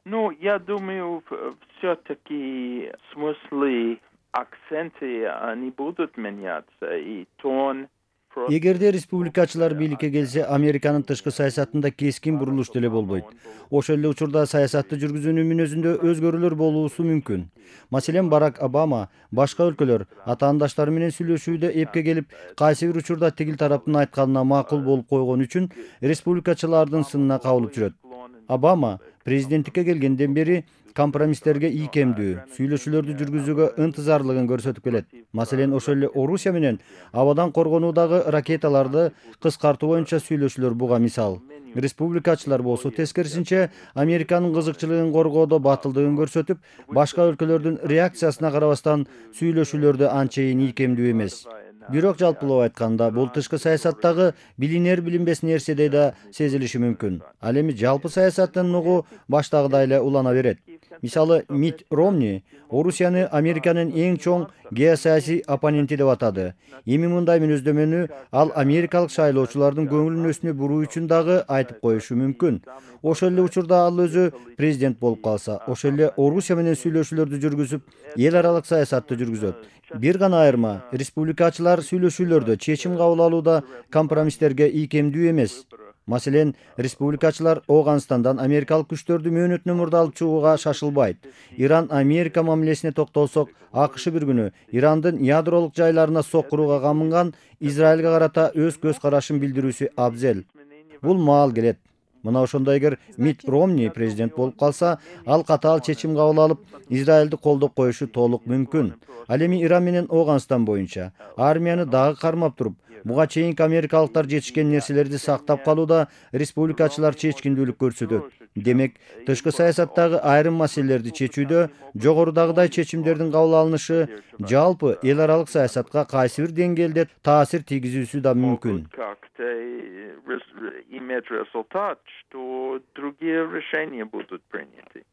Ну, я думаю, все-таки смыслы, акценты, они будут меняться, и тон просто... Эгерде республикачылар бийликке келсе, Американын тышкы саясатында кескин бурулуш деле болбойт. Ошол эле учурда саясатты жүргүзүүнүн мүнөзүндө өзгөрүүлөр болуусу мүмкүн. Маселен, Барак Обама башка өлкөлөр атаандаштары менен сүйлөшүүдө эпке келип, кайсы бир учурда тигил тараптын айтканына макул болуп койгон үчүн республикачылардын сынына кабылып жүрөт. Обама президенттикке келгенден бери компромисстерге ийкемдүү сүйлөшүүлөрдү жүргүзүүгө ынтызарлыгын көрсөтүп келет. Маселен, ошол эле Орусия менен абадан коргонуудагы ракеталарды кыскартуу боюнча сүйлөшүүлөр буга мисал. Республикачылар болсо тескерисинче Американын кызыкчылыгын коргоодо батылдыгын көрсөтүп, башка өлкөлөрдүн реакциясына карабастан сүйлөшүүлөрдө анчейин ийкемдүү эмес. Бирок жалпылап айтканда, бул тышкы саясаттагы билинер билинбес нерседей да сезилиши мүмкүн. Ал эми жалпы саясаттын нугу баштагыдай эле улана берет. Мисалы, Митт Ромни Орусияны Американын эң чоң геосаясий оппоненти деп атады. Эми мындай мүнөздөмөнү ал америкалык шайлоочулардын көңүл-үнөсүнө буруу үчүн дагы айтып коюшу мүмкүн. Ошол эле учурда ал өзү президент болуп калса, ошол эле Орусия менен сүйлөшүүлөрдү жүргүзүп, эл аралык саясатты жүргүзөт. Бир гана айырма, республикачылар сүйлөшүүлөрдө чечим кабыл алууда компромисстерге ийкемдүү эмес. Маселен, республикачылар Ооганстандан америкалык күчтөрдү мөөнөтүнөн мурда алып чыгууга шашылбайт. Иран-Америка мамилесине токтолсок, АКШ бир күнү Ирандын ядролук жайларына соккурууга камынган Израилге карата өз көз карашын билдирүүсү абзел. Бул маал келет. Мына ошондо эгер Митт Ромни президент болуп калса, ал катаал чечим кабыл алып, Израилди колдоп коюшу толук мүмкүн. Ал эми Иран менен Ооганстан боюнча армияны дагы кармап туруп, буга чейинки америкалыктар жетишкен нерселерди сактап калууда республикачылар чечкиндүүлүк көрсөтөт. Демек, тышкы саясаттагы айрым маселелерди чечүүдө жогорудагыдай чечимдердин кабыл алынышы жалпы эл аралык саясатка кайсы бир деңгээлде таасир тийгизүүсү да мүмкүн. иметь результат, что другие решения будут приняты.